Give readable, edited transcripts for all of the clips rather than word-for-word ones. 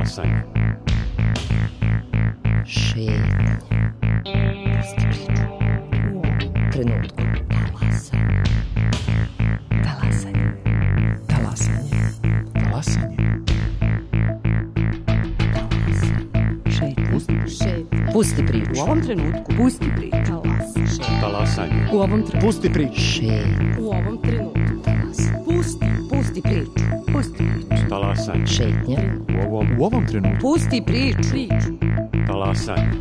Talasanje. Šetnje. Pusti priču. U ovom trenutku. Talasanje. Talasanje. Talasanje. Pusti priču. U ovom trenutku. Pusti priču. Talasanje. U ovom trenutku. Pusti priču. Šetnje. U ovom trenutku. Pusti priču. Pusti priču. Talasanje. Šetnja. U ovom trenutku. Pusti priču. Talasanje.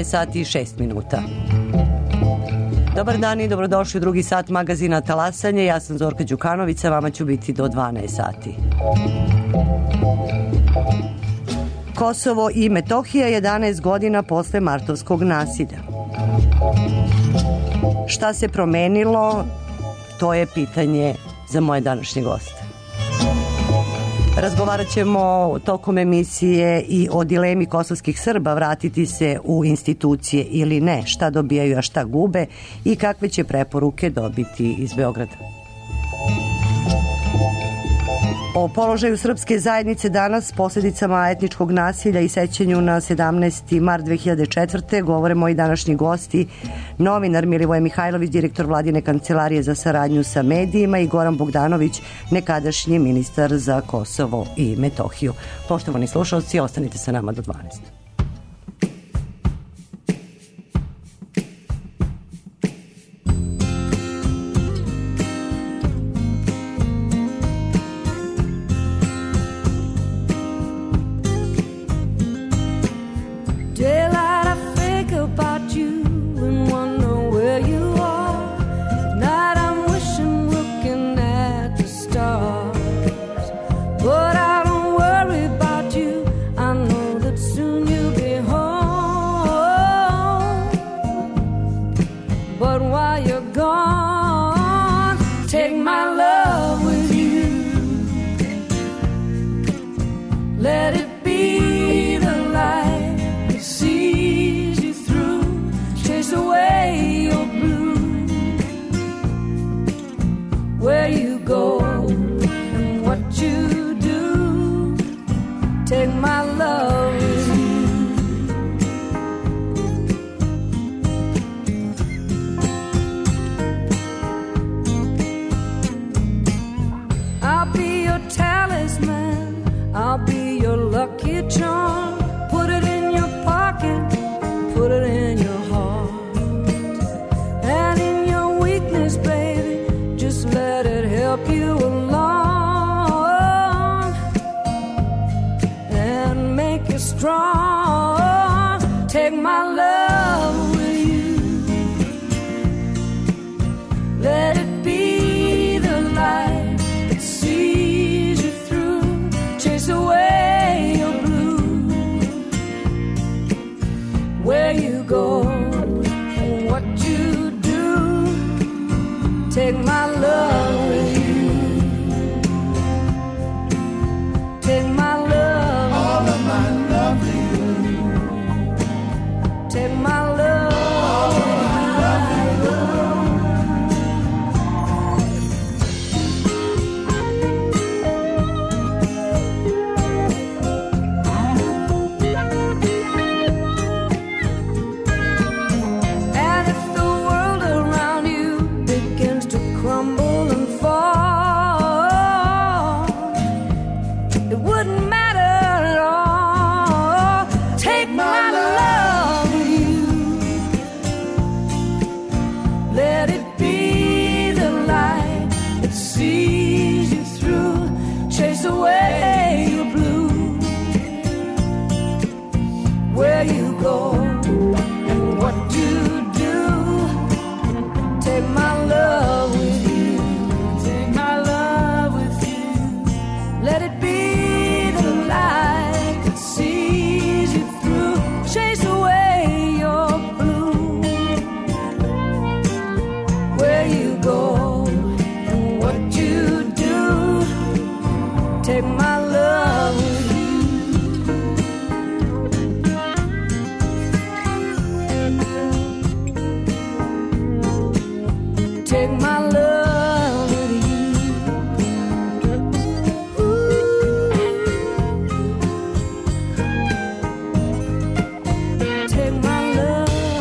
Sati i 6 minuta. Dobar dan i dobrodošli u drugi sat magazina Talasanje. Ja sam Zorka Đukanović, a vama ću biti do 12 sati. Kosovo i Metohija 11 godina posle martovskog nasilja. Šta se promenilo? To je pitanje za moje današnje goste. Razgovarat ćemo tokom emisije i o dilemi kosovskih Srba vratiti se u institucije ili ne, šta dobijaju, a šta gube i kakve će preporuke dobiti iz Beograda. O položaju srpske zajednice danas, posljedicama etničkog nasilja i sećanju na 17. mart 2004. govore moji današnji gosti, novinar Milivoje Mihajlović, direktor Vladine kancelarije za saradnju sa medijima, i Goran Bogdanović, nekadašnji ministar za Kosovo i Metohiju. Poštovani slušalci, ostanite sa nama do 12. And if the world around you begins to crumble and fall, take my love with you. Take my love with you. Ooh. Take my love with you. Take my love with you.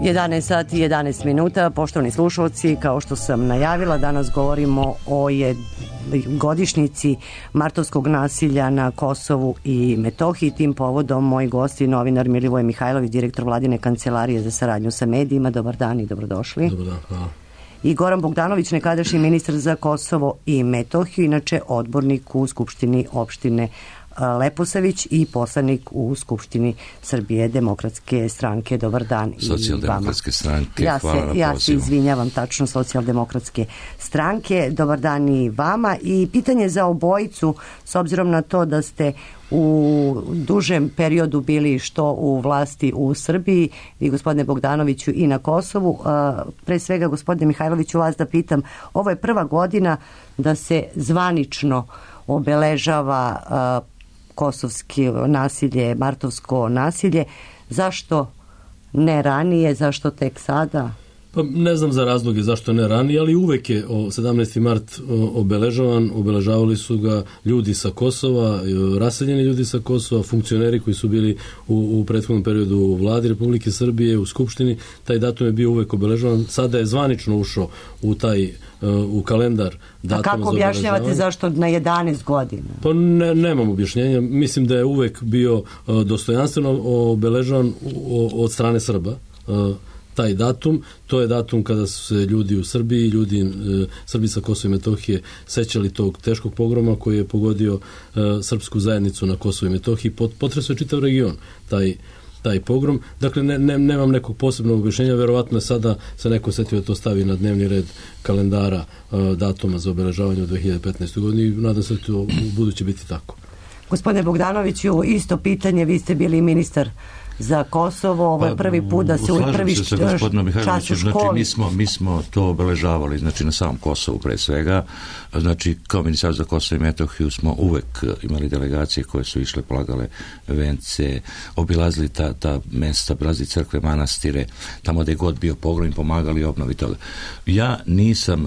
Jedanaest sati i 11 minuta. Poštovani slušalci, kao što sam najavila, danas govorimo o godišnjici martovskog nasilja na Kosovu i Metohiji. Tim povodom moji gosti, novinar Milivoje Mihajlović, direktor Vladine kancelarije za saradnju sa medijima. Dobar dan i dobrodošli. Dobar dan, hvala. I Goran Bogdanović, nekadašnji ministar za Kosovo i Metohiju, inače odbornik u Skupštini opštine Leposavić i poslanik u Skupštini Srbije demokratske stranke. Dobar dan i Socijaldemokratske stranke, hvala na pozivu. Ja se izvinjavam, tačno Socijaldemokratske stranke. Dobar dan i vama. I pitanje za obojicu, s obzirom na to da ste u dužem periodu bili što u vlasti u Srbiji, vi gospodine Bogdanoviću i na Kosovu. Pre svega, gospodine Mihajloviću, vas da pitam, ovo je prva godina da se zvanično obeležava kosovski nasilje, martovsko nasilje. Zašto ne ranije, zašto tek sada? Pa ne znam za razloge zašto ne ranije, ali uvek je 17. mart obeležavan. Obeležavali su ga ljudi sa Kosova, raseljeni ljudi sa Kosova, funkcioneri koji su bili u prethodnom periodu u vladi Republike Srbije, u Skupštini. Taj datum je bio uvek obeležavan. Sada je zvanično ušao u kalendar datuma. A kako objašnjavate zašto na 11 godina? Pa nemam objašnjenja. Mislim da je uvek bio dostojanstveno obeležavan od strane Srba. Taj datum, to je datum kada su se ljudi u Srbiji, Srbi sa Kosova i Metohije sećali tog teškog pogroma koji je pogodio srpsku zajednicu na Kosovu i Metohiji. Potresao je čitav region taj pogrom. Dakle, nemam nekog posebnog objašnjenja, verovatno je sada se neko setio da to stavi na dnevni red kalendara datuma za obeležavanje u 2015. godini i nadam se da to u buduće biti tako. Gospodine Bogdanoviću, isto pitanje, vi ste bili ministar za Kosovo, ovo je prvi put da se u prvi čas u školi. Znači, mi smo to obeležavali, znači na samom Kosovu pre svega, znači kao ministar za Kosovo i Metohiju smo uvek imali delegacije koje su išle, polagale vence, obilazili ta mesta, obilazili crkve, manastire, tamo gde je god bio pogrom, pomagali obnovi toga. Ja nisam,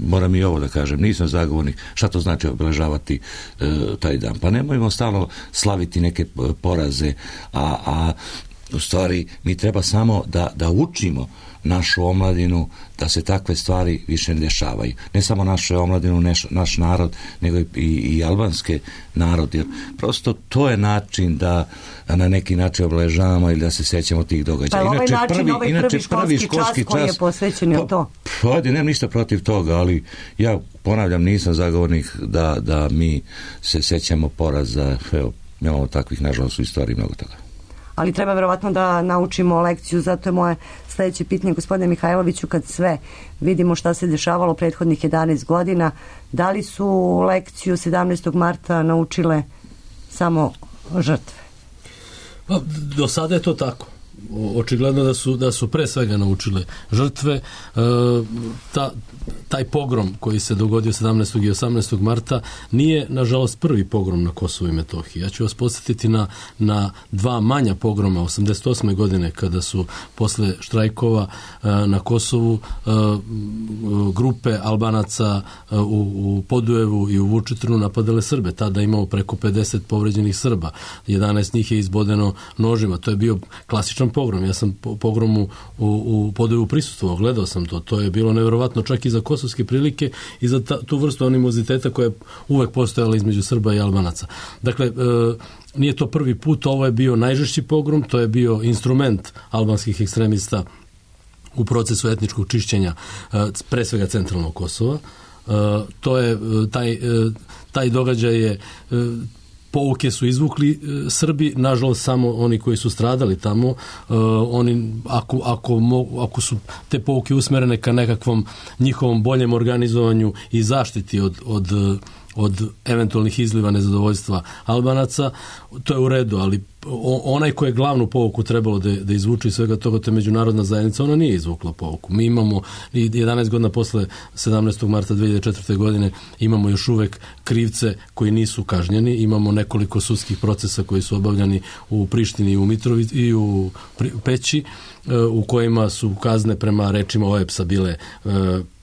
moram i ovo da kažem, nisam zagovornik šta to znači obeležavati taj dan. Pa nemojmo stalno slaviti neke poraze, a u stvari mi treba samo da učimo našu omladinu da se takve stvari više ne dešavaju. Ne samo našu omladinu, naš narod, nego i albanske narod, jer prosto to je način da na neki način obeležavamo ili da se sećamo tih događaja. Pa inače, prvi školski čas koji je posvećen je to? Ovdje nemam ništa protiv toga, ali ja ponavljam, nisam zagovornik da mi se sećamo poraza. Evo, imamo takvih, nažalost, u istoriji mnogo toga. Ali treba verovatno da naučimo lekciju, zato je moje sledeće pitanje, gospodine Mihajloviću, kad sve vidimo šta se dešavalo prethodnih 11 godina, da li su lekciju 17. marta naučile samo žrtve? Pa, do sada je to tako. Očigledno da su pre svega naučile žrtve. Taj pogrom koji se dogodio 17. i 18. marta nije, nažalost, prvi pogrom na Kosovu i Metohiji. Ja ću vas podsjetiti na dva manja pogroma 88. godine, kada su posle štrajkova na Kosovu grupe Albanaca u Podujevu i u Vučitrnu napadale Srbe. Tada imao preko 50 povređenih Srba. 11 njih je izbodeno nožima. To je bio klasičan stravičan pogrom. Ja sam pogromu u Podujevu prisustvovao, gledao sam to. To je bilo neverovatno čak i za kosovske prilike i za tu vrstu animoziteta koja je uvek postojala između Srba i Albanaca. Dakle, nije to prvi put, ovo je bio najžešći pogrom, to je bio instrument albanskih ekstremista u procesu etničkog čišćenja, pre svega centralnog Kosova. To je, taj događaj je, pouke su izvukli Srbi, nažalost samo oni koji su stradali tamo, oni, ako su te pouke usmerene ka nekakvom njihovom boljem organizovanju i zaštiti od eventualnih izliva nezadovoljstva Albanaca, to je u redu, ali onaj ko je glavnu pouku trebalo da izvuče iz svega toga, to je međunarodna zajednica, ona nije izvukla pouku. Mi imamo 11 godina posle 17. marta 2004. godine imamo još uvek krivce koji nisu kažnjeni, imamo nekoliko sudskih procesa koji su obavljani u Prištini i u Mitrovici i u Peći, u kojima su kazne prema rečima OEBS-a bile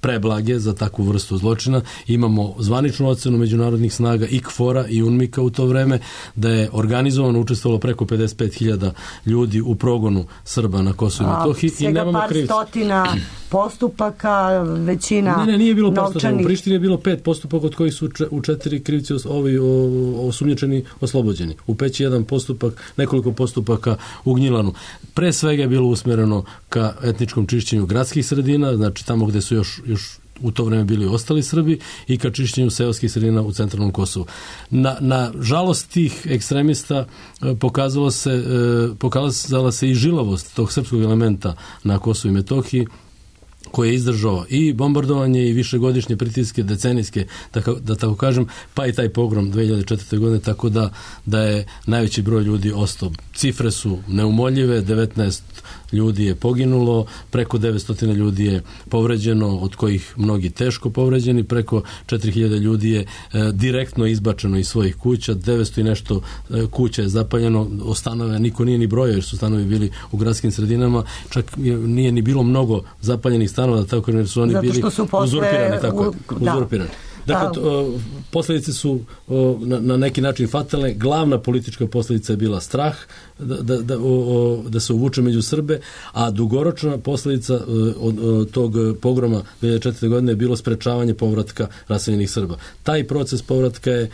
preblage za takvu vrstu zločina. Imamo zvaničnu ocenu međunarodnih snaga i KFOR-a i UNMIK-a u to vreme da je organizovano učestvovalo preko 55.000 ljudi u progonu Srba na Kosovu i Metohiji i nemamo krivca. Svega par stotina postupaka, većina Ne, nije bilo novčanih... postupaka. U Prištini je bilo 5 postupaka od kojih su u 4 krivci osumnjičeni oslobođeni. U Peći jedan postupak, nekoliko postupaka u Gnjilanu. Pre svega je bilo usmjereno ka etničkom čišćenju gradskih sredina, znači tamo gde su još u to vreme bili ostali Srbi, i ka čišćenju seoskih sredina u centralnom Kosovu. Na žalost tih ekstremista pokazala se i žilavost tog srpskog elementa na Kosovu i Metohiji, koji je izdržao i bombardovanje i višegodišnje pritiske, decenijske, da tako kažem, pa i taj pogrom 2004. godine, tako da je najveći broj ljudi ostao. Cifre su neumoljive, 19 ljudi je poginulo, preko 900 ljudi je povređeno, od kojih mnogi teško povređeni, preko 4000 ljudi je direktno izbačeno iz svojih kuća, 900 i nešto kuća je zapaljeno, o stanove niko nije ni brojao jer su stanovi bili u gradskim sredinama, čak nije ni bilo mnogo zapaljenih stanova, da tako jer su oni bili uzurpirani. Dakle, posljedice su na neki način fatalne. Glavna politička posljedica je bila strah da se uvuče među Srbe, a dugoročna posljedica tog pogroma 2004. godine je bilo sprečavanje povratka raseljenih Srba. Taj proces povratka je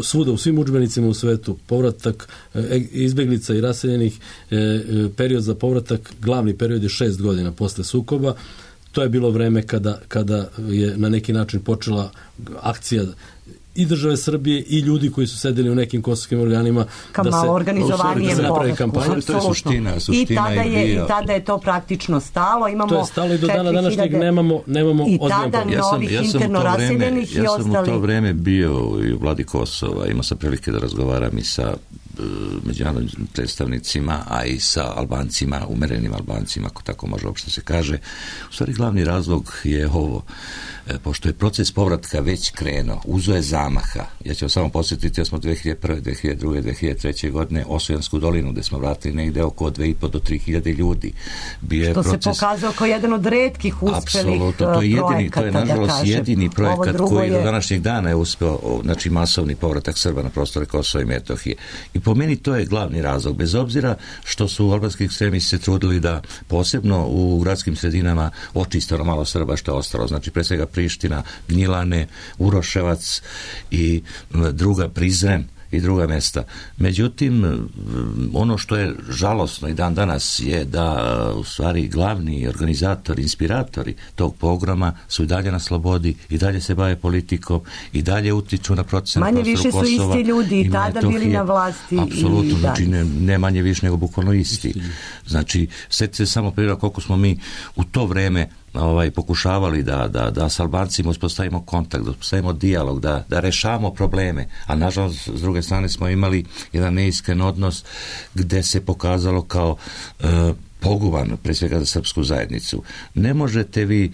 svuda, u svim udžbenicima u svetu, povratak izbeglica i raseljenih, period za povratak, glavni period je 6 godina posle sukoba. To je bilo vreme kada je na neki način počela akcija i države Srbije i ljudi koji su sedeli u nekim kosovskim organima da se napravi kampanja. To je suština I tada je to praktično stalo. To je stalo i do dana današnjeg nemamo i tada novih interno raseljenih i ostali. Ja sam u to vreme bio i u vladi Kosova, imao sam prilike da razgovaram i sa međunarodnim predstavnicima, a i sa Albancima, umerenim Albancima, ako tako može uopšte se kaže. U stvari glavni razlog je ovo, pošto je proces povratka već krenuo, uzo je zamaha. Ja ću vam samo posjetiti da smo 2001. 2002. 2003. godine Osvojansku dolinu, gde smo vratili negde oko 2.500 do 3.000 ljudi. Što se pokazao kao jedan od retkih uspelih projekata. To je nažalost jedini projekat koji do današnjeg dana je uspeo, znači masovni povratak Srba na prostore Kosova i Metohije. I po meni to je glavni razlog, bez obzira što su albanski ekstremisti se trudili da posebno u gradskim sredinama očiste malo Srba što je ostalo, znači pre svega Priština, Gnjilane, Uroševac i druga Prizren i druga mesta. Međutim, ono što je žalosno i dan danas je da u stvari glavni organizatori, inspiratori tog programa su i dalje na slobodi, i dalje se bave politikom, i dalje utiču na procese na prostoru Kosova. Manje više su isti ljudi i tada bili na vlasti. Apsolutno, znači ne manje više nego bukvalno isti. Znači, setite se samo primjera koliko smo mi u to vreme pokušavali da s Albancima uspostavimo kontakt, da uspostavimo dijalog, da rešavamo probleme, a nažalost s druge strane smo imali jedan neiskren odnos gde se pokazalo kao poguban, pre svega za srpsku zajednicu. Ne možete vi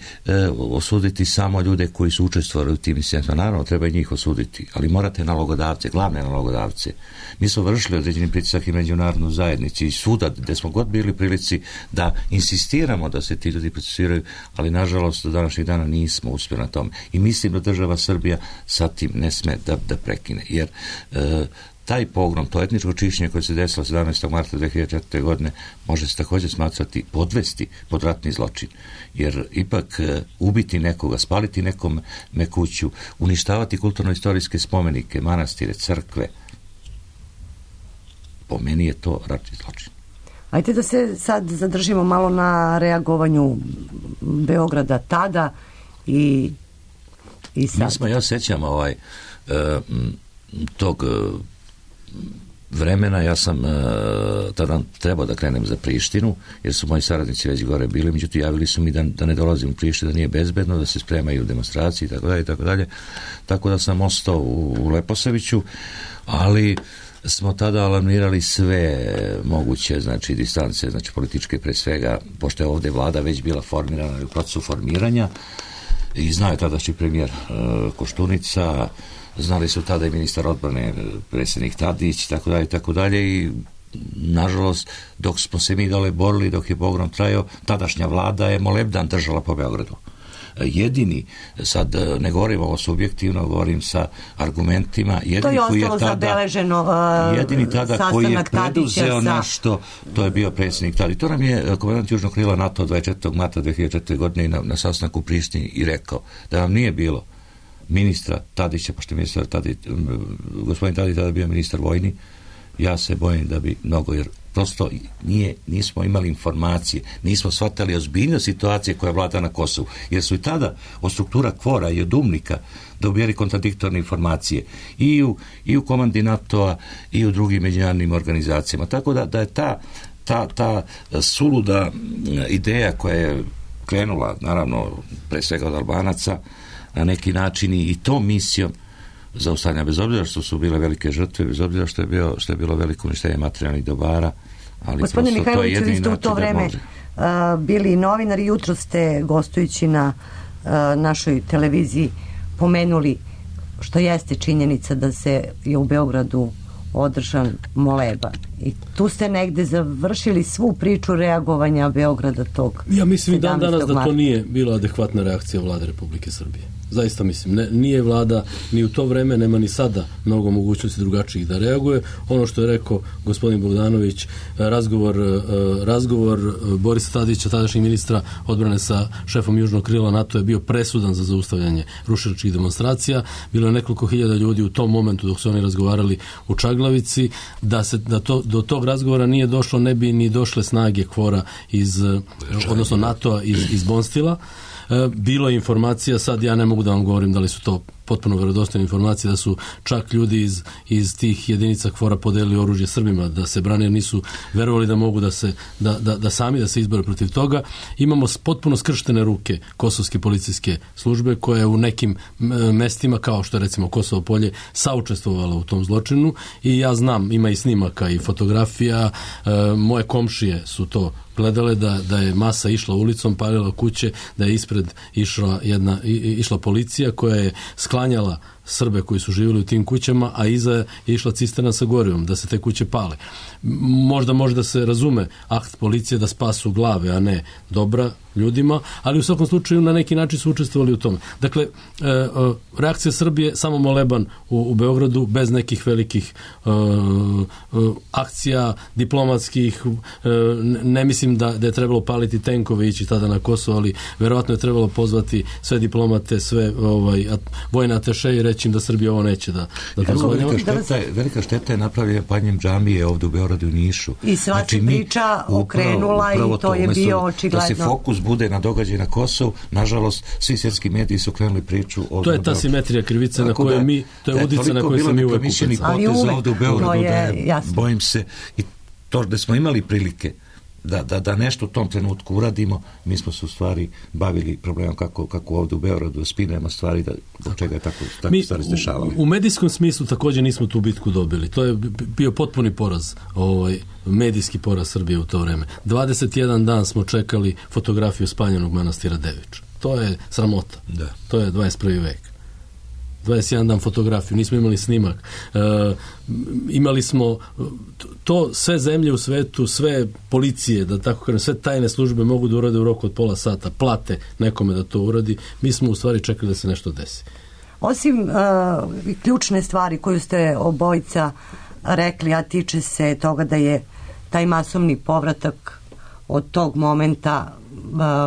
osuditi samo ljude koji su učestvovali u tim incidentima. Naravno, treba i njih osuditi, ali morate nalogodavce, glavne nalogodavce. Mi smo vršili određeni pritisak i međunarodnu zajednicu i svuda gde smo god bili prilici da insistiramo da se ti ljudi procesuiraju, ali nažalost do današnjeg dana nismo uspjeli na tome. I mislim da država Srbija sa tim ne sme da prekine, jer taj pogrom, to etničko čišćenje koje se desilo 17. marta 2004. godine može se također smatrati, podvesti pod ratni zločin. Jer ipak ubiti nekoga, spaliti nekome kuću, uništavati kulturno-istorijske spomenike, manastire, crkve, po meni je to ratni zločin. Ajde da se sad zadržimo malo na reagovanju Beograda tada i sad. Ja sećam tog vremena, ja sam tada trebao da krenem za Prištinu, jer su moji saradnici već gore bili, međutim javili su mi da ne dolazim u Prištinu, da nije bezbedno, da se spremaju demonstracije i tako dalje. Tako da sam ostao u Leposaviću, ali smo tada alarmirali sve moguće, znači distance, znači političke pre svega, pošto je ovde vlada već bila formirana u procesu formiranja i znao je tadašnji premijer Koštunica, znali su tada i ministar odbrane, predsjednik Tadić, tako dalje i nažalost, dok smo se mi dole borili, dok je pogrom trajao, tadašnja vlada je molebdan držala po Beogradu. Jedini, sad ne govorim ovo subjektivno, govorim sa argumentima, jedini koji je tada koji je preduzeo nešto, to je bio predsjednik Tadić. To nam je komandant Južnog krila NATO 24. marta 2004. godine na sastanku u Prištini i rekao da vam nije bilo ministra Tadića, pošto je gospodin Tadić tada bio ministar vojni, ja se bojim da bi mnogo, jer prosto nismo imali informacije, nismo shvatali ozbiljnost situacije koja vlada na Kosovu, jer su i tada od struktura KFOR-a i od UMNIK-a dobijali kontradiktorne informacije i u komandi NATO-a i u drugim međunarodnim organizacijama. Tako da je ta suluda ideja koja je krenula, naravno, pre svega od Albanaca, na neki način i tom misijom zaustavljanja, bez obzira što su bile velike žrtve, bez obzira što je bilo veliko uništenje materijalnih dobara, ali gospodine prosto to je Mihajloviću, vi ste u to vreme bili novinari, jutro ste gostujući na našoj televiziji pomenuli, što jeste činjenica, da se je u Beogradu održan moleba. I tu ste negde završili svu priču reagovanja Beograda tog 17. Ja mislim danas marta. da to nije bila adekvatna reakcija vlade Republike Srbije. Zaista mislim, nije vlada ni u to vreme, nema ni sada mogućnosti drugačijih da reaguje. Ono što je rekao gospodin Bogdanović, razgovor Borisa Tadića, tadašnjeg ministra odbrane sa šefom Južnog krila NATO je bio presudan za zaustavljanje rušilačkih demonstracija. Bilo je nekoliko hiljada ljudi u tom momentu dok su oni razgovarali u Čaglavici. Do tog razgovora nije došlo, ne bi ni došle snage KFOR-a odnosno NATO-a iz Bonstila. Bilo je informacija, sad ja ne mogu da vam govorim da li su to potpuno vjerodostojne informacije, da su čak ljudi iz tih jedinica KFOR-a podelili oružje Srbima da se brane, jer nisu verovali da mogu da sami da se izbore protiv toga. Imamo potpuno skrštene ruke kosovske policijske službe koja je u nekim mestima, kao što je recimo Kosovo polje, saučestvovala u tom zločinu i ja znam, ima i snimaka i fotografija, moje komšije su to gledale, da je masa išla ulicom, palila kuće, da je ispred išla policija koja je sklanjala Srbe koji su živjeli u tim kućama, a iza je išla cisterna sa gorivom, da se te kuće pale. Možda može da se razume akt policije da spasu glave, a ne dobra ljudima, ali u svakom slučaju na neki način su učestvovali u tome. Dakle, reakcija Srbije samo moleban u Beogradu, bez nekih velikih akcija diplomatskih. Ne mislim da je trebalo paliti tenkove i ići tada na Kosovo, ali verovatno je trebalo pozvati sve diplomate, sve vojne ateše i reći im da Srbija ovo neće da dozvoljava. Velika šteta je napravljena paljenjem džamije ovdje u Beogradu i Nišu. I sva se priča okrenula i to je bio očigledno. Da se fokus bude na događaj na Kosovu, nažalost, svi svjetski mediji su krenuli priču ovdje. To je ta simetrija krivice na kojoj mi, to je udica na kojoj se mi uvek upecamo. Ali uvek, to je jasno. Bojim se, i to da smo imali prilike da nešto u tom trenutku uradimo, mi smo se u stvari bavili problemom kako ovdje u Beogradu spinujemo stvari, do čega je tako stvari se dešavali. U medijskom smislu također nismo tu bitku dobili. To je bio potpuni poraz, medijski poraz Srbije u to vreme. 21 dan smo čekali fotografiju spaljenog manastira Devič. To je sramota. Da. To je 21. vek. 21 dan fotografiju, nismo imali snimak. Imali smo to, sve zemlje u svetu, sve policije, da tako kažem, sve tajne službe mogu da urade u roku od pola sata, plate nekome da to uradi. Mi smo u stvari čekali da se nešto desi. Osim ključne stvari koju ste obojica rekli, a tiče se toga da je taj masovni povratak od tog momenta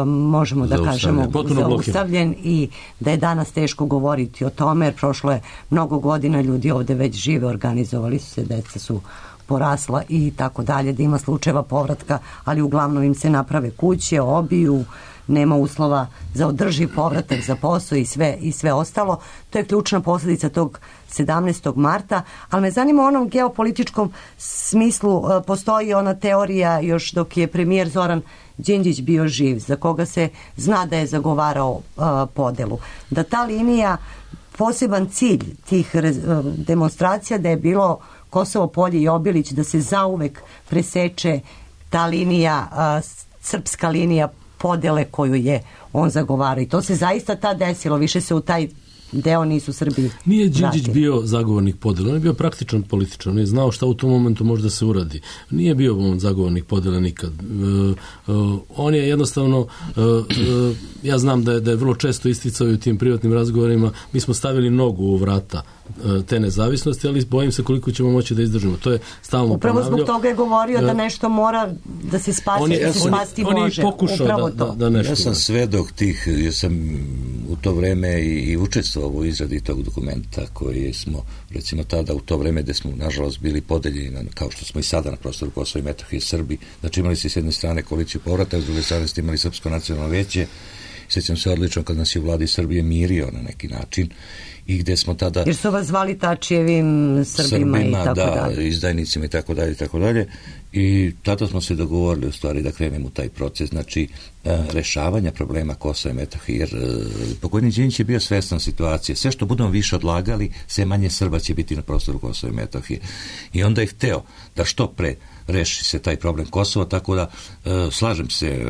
možemo da kažemo zaustavljen i da je danas teško govoriti o tome jer prošlo je mnogo godina, ljudi ovde već žive, organizovali su se, deca su porasla i tako dalje, da ima slučajeva povratka, ali uglavnom im se naprave kuće, obiju, nema uslova za održiv povratak za posao i sve ostalo. To je ključna posljedica tog 17. marta, ali me zanima u onom geopolitičkom smislu, postoji ona teorija još dok je premijer Zoran Đinđić bio živ, za koga se zna da je zagovarao podelu. Da ta linija, poseban cilj tih demonstracija da je bilo Kosovo polje i Obilić, da se zauvek preseče ta linija, srpska linija podele koju je on zagovarao. I to se zaista tad desilo, više se u taj deo nisu Srbi. Nije Đinđić bio zagovornik podele, on je bio praktičan političar, on je znao šta u tom momentu može da se uradi. Nije bio on zagovornik podele nikad. On je jednostavno, ja znam da je vrlo često isticao i u tim privatnim razgovorima, mi smo stavili nogu u vrata te nezavisnosti, ali bojim se koliko ćemo moći da izdržimo. To je stalno upravo ponavljao. Zbog toga je govorio da nešto mora da se spasi, da se spasti može. On je pokušao da nešto. Ja sam svedok tih, jer sam u to vreme i učestvovao u izradi tog dokumenta koji smo, recimo tada u to vreme gde smo nažalost bili podeljeni, kao što smo i sada na prostoru Kosova i Metohije, Srbi, znači imali se s jedne strane koaliciju povratak, s druge strane ste imali Srpsko nacionalno veće. Sjećam se odlično kad nas je u vladi Srbije mirio na neki način i gde smo tada... Jer su vas zvali Tačijevim Srbima i tako dalje. Da, izdajnicima i tako dalje i tako dalje. I tada smo se dogovorili u stvari da krenemo u taj proces, znači rešavanja problema Kosova i Metohije, jer pokojni Đinđić je bio svestan situacije. Sve što budemo više odlagali, sve manje Srba će biti na prostoru Kosova i Metohije. I onda je hteo da što pre reši se taj problem Kosova, tako da slažem se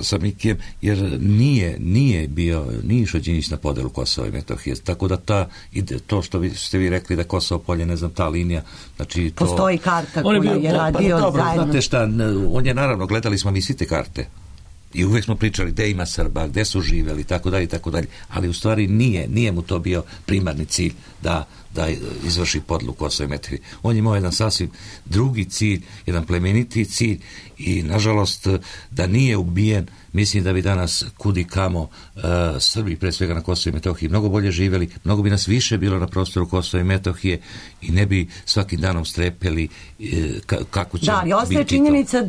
sa Mikijem, jer nije išao Đinđić na podelu Kosova i Metohije, tako da to što ste vi rekli da Kosovo polje, ne znam, ta linija, znači to... Postoji karta koju je radio dobro, zajedno. Znate šta, on je naravno, gledali smo mi svi te karte i uvek smo pričali gde ima Srba, gde su živeli, tako dalje, ali u stvari nije mu to bio primarni cilj da izvrši podelu Kosova i Metohije. On je imao jedan sasvim drugi cilj, jedan plemeniti cilj i nažalost da nije ubijen, mislim da bi danas kudi kamo Srbi, pre svega na Kosovo i Metohiji, mnogo bolje živeli, mnogo bi nas više bilo na prostoru Kosova i Metohije i ne bi svakim danom strepeli kako će biti to. Da, ali ostaje činjenica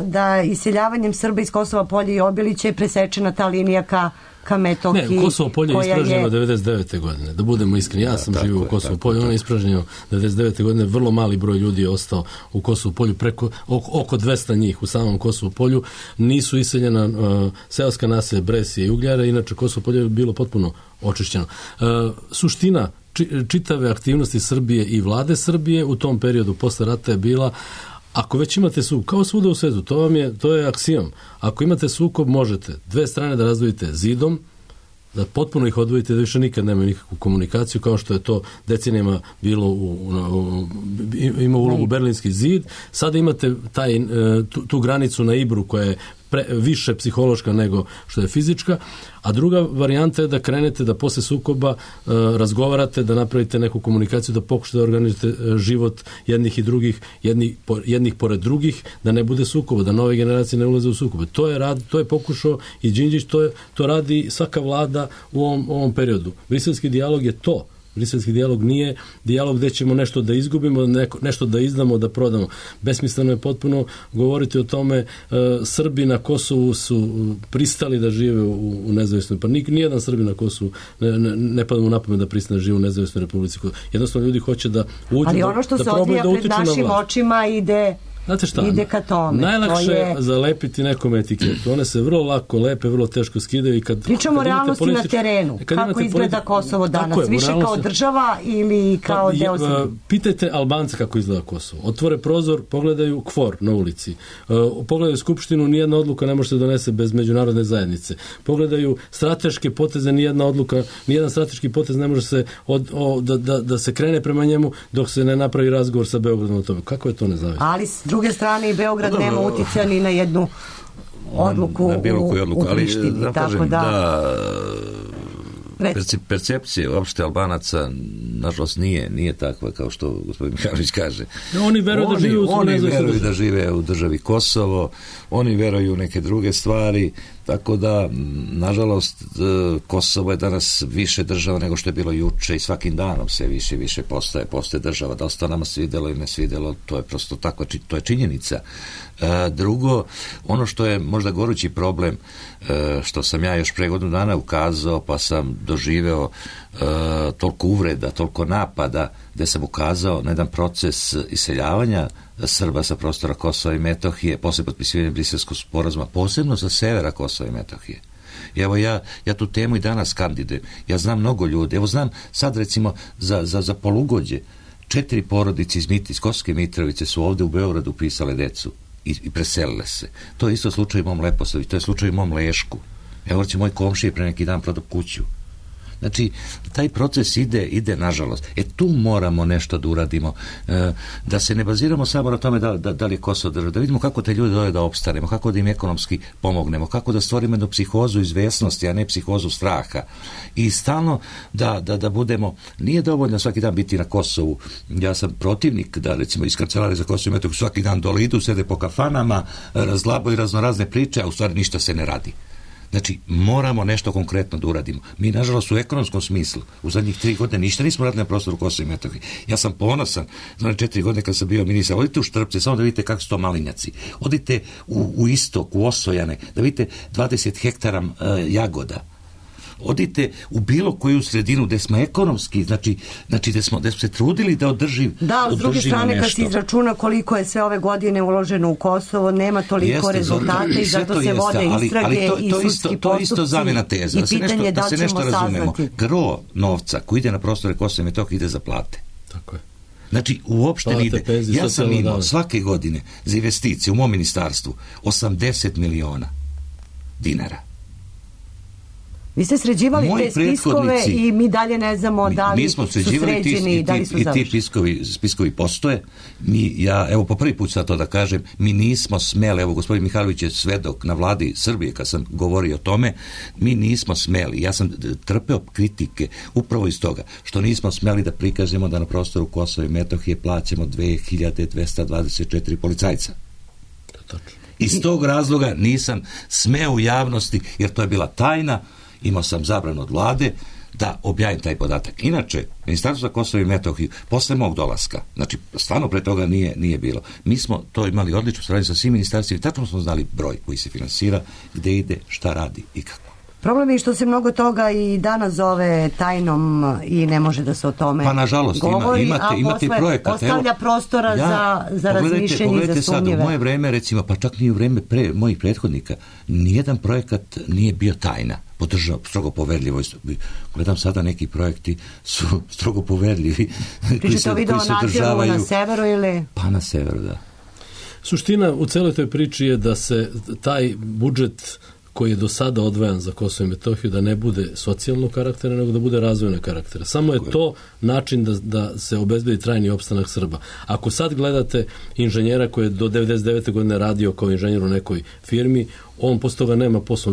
da iseljavanjem Srba iz Kosova polja i Obilića je presečena ta linija ka Metohiji. Ne, Kosovo polje je ispražnjeno 99. godine. Da budemo iskreni, ja sam živio u Kosovo polju, ono je ispražnjeno 99. godine, vrlo mali broj ljudi je ostao u Kosovo polju, oko 200 njih u samom Kosovo polju, nisu iseljena seoska naselja Bresije i Ugljara, inače Kosovo polje je bilo potpuno očišćeno. Suština čitave aktivnosti Srbije i vlade Srbije u tom periodu posle rata je bila, ako već imate sukob, kao svuda u svetu, to je aksijom. Ako imate sukob, možete dve strane da razdvojite zidom, da potpuno ih odvojite, da više nikad nemaju nikakvu komunikaciju, kao što je to decenijama bilo ima ulogu Berlinski zid. Sada imate tu granicu na Ibru koja je više psihološka nego što je fizička, a druga varijanta je da krenete da posle sukoba razgovarate, da napravite neku komunikaciju, da pokušate da organizujete život jednih i drugih, jednih pored drugih, da ne bude sukoba, da nove generacije ne ulaze u sukobe. To je pokušao i Đinđić, to radi svaka vlada u ovom periodu. Briselski dijalog je to. Briselski dijalog nije dijalog gde ćemo nešto da izgubimo, nešto da izdamo, da prodamo. Besmisleno je potpuno govoriti o tome. Srbi na Kosovu su pristali da žive u nezavisnoj, pa nijedan Srbi na Kosovu ne pada mu na pamet da pristane da žive u nezavisnoj Republici. Jednostavno ljudi hoće da uđu, ali ono što se odvija pred našim očima ide... Znate šta, ide ka tome. Najlakše je zalepiti nekom etiketu. One se vrlo lako lepe, vrlo teško skidaju. I pričamo o realnosti na terenu. Kako izgleda Kosovo danas? Više kao država ili kao deo Srbije? Pitajte Albance kako izgleda Kosovo. Otvore prozor, pogledaju KFOR na ulici. Pogledaju Skupštinu, nijedna odluka ne može se donese bez međunarodne zajednice. Pogledaju strateške poteze, nijedan strateški potez ne može se da se krene prema njemu dok se ne napravi razgovor sa Beogradom o tome. Kako je to nezavisno? Ali s druge strane i Beograd nema uticaja ni na jednu odluku u Prištini. Tako da percepcije uopšte Albanaca nažalost nije takva kao što gospodin Mihajlović kaže. Oni veruju da žive u Oni veruju da žive u državi Kosovo, oni veruju u neke druge stvari, tako da, nažalost, Kosovo je danas više država nego što je bilo juče i svakim danom se više i više postaje država. Da li se to nama svidjelo ili ne svidjelo, to je prosto tako, to je činjenica. Drugo, ono što je možda gorući problem, što sam ja još pre godinu dana ukazao, pa sam doživeo toliko uvreda, toliko napada, gde sam ukazao na jedan proces iseljavanja Srba sa prostora Kosova i Metohije, posle potpisivanja Briselskog sporazuma, posebno sa severa Kosova i Metohije. I evo ja tu temu i danas kandidujem. Ja znam mnogo ljudi. Evo znam sad recimo za polugođe 4 porodice iz Kosovske Mitrovice su ovde u Beogradu upisale decu i preselile se. To je isto slučaj u mom Leposavi, to je slučaj u mom Lešku. Evo će moj komšija pre neki dan prodao kuću. Znači, taj proces ide nažalost. Tu moramo nešto da uradimo, da se ne baziramo samo na tome da li je Kosovo država, da vidimo kako te ljudi dole da opstanemo, kako da im ekonomski pomognemo, kako da stvorimo jednu psihozu izvesnosti, a ne psihozu straha. I stalno da budemo, nije dovoljno svaki dan biti na Kosovu. Ja sam protivnik da, recimo, iz Kancelarije za Kosovo i Metohiju svaki dan dole idu, sede po kafanama, razglabaju raznorazne priče, a u stvari ništa se ne radi. Znači, moramo nešto konkretno da uradimo. Mi, nažalost, u ekonomskom smislu u zadnjih 3 godine ništa nismo radili na prostoru Kosova i Metohije. Ja sam ponosan, za 4 godine kad sam bio ministar, odite u Štrpce, samo da vidite kako su to malinjaci. Odite u istok, u Osojane, da vidite 20 hektara jagoda. Odite u bilo koju sredinu gde smo ekonomski, znači gde smo se trudili da održimo nešto. Da, s druge strane, kad se izračuna koliko je sve ove godine uloženo u Kosovo, nema toliko rezultata i zato se vode istrage i sudski postupci. To je isto zamena teza. I pitanje da li ćemo saznati. Gro novca koji ide na prostore Kosova i Metohije ide za plate. Tako je. Znači, uopšte ne ide. Ja sam imao svake godine za investicije u mom ministarstvu 80 miliona dinara. Vi ste sređivali te spiskove i mi dalje ne znamo da li su sređeni i da li su završeni. I ti spiskovi postoje. Evo po prvi put sad to da kažem, mi nismo smeli, evo gospodin Mihajlović je svedok na vladi Srbije kad sam govorio o tome, mi nismo smeli, ja sam trpeo kritike upravo iz toga, što nismo smeli da prikažemo da na prostoru Kosova i Metohije plaćamo 2224 policajca. Iz tog razloga nisam smeo u javnosti, jer to je bila tajna, imao sam zabranu od vlade da objavim taj podatak. Inače, Ministarstvo za Kosovo i Metohiju, posle mog dolaska, znači stvarno pre toga nije bilo, mi smo to imali odličnu saradnju sa svim ministarstvima i tačno smo znali broj koji se finansira, gde ide, šta radi i kako. Problem je što se mnogo toga i danas zove tajnom i ne može da se o tome govori, imate projekat. Ostavlja prostora za razmišljenje i za sumnjive. Pogledajte sad, u moje vreme, recimo, pa čak ni u vreme mojih prethodnika, nijedan projekat nije bio tajna, strogo poverljivo. Gledam sada, neki projekti su strogo poverljivi. Pričate o video na severu ili? Pa na severu, da. Suština u celoj toj priči je da se taj budžet koji je do sada odvajan za Kosovo i Metohiju da ne bude socijalnog karaktera, nego da bude razvojnog karaktera. Samo je to način da se obezbedi trajni opstanak Srba. Ako sad gledate inženjera koji je do 99. godine radio kao inženjer u nekoj firmi, on posle toga nema posla.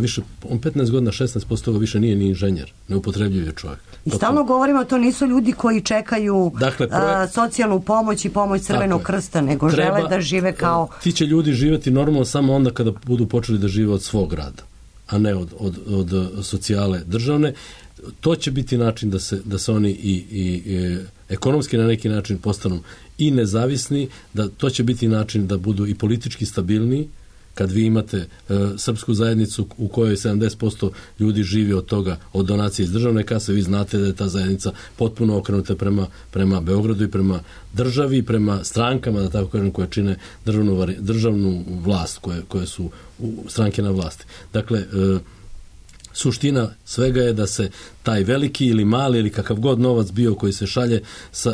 On 15 godina, 16% toga više nije ni inženjer. Neupotrebljiv je čovjek. I stalno govorimo, to nisu ljudi koji čekaju socijalnu pomoć i pomoć Crvenog krsta, nego žele da žive kao... Ti će ljudi živjeti normalno samo onda kada budu počeli da žive od svog rada, a ne od socijale državne. To će biti način da se oni i ekonomski na neki način postanu i nezavisni, da to će biti način da budu i politički stabilniji. Kad vi imate srpsku zajednicu u kojoj 70% ljudi živi od toga, od donacije iz državne kase, vi znate da je ta zajednica potpuno okrenuta prema Beogradu i prema državi, prema strankama, da tako kažem, koje čine državnu vlast, koje su stranke na vlasti. Dakle, suština svega je da se taj veliki ili mali ili kakav god novac bio koji se šalje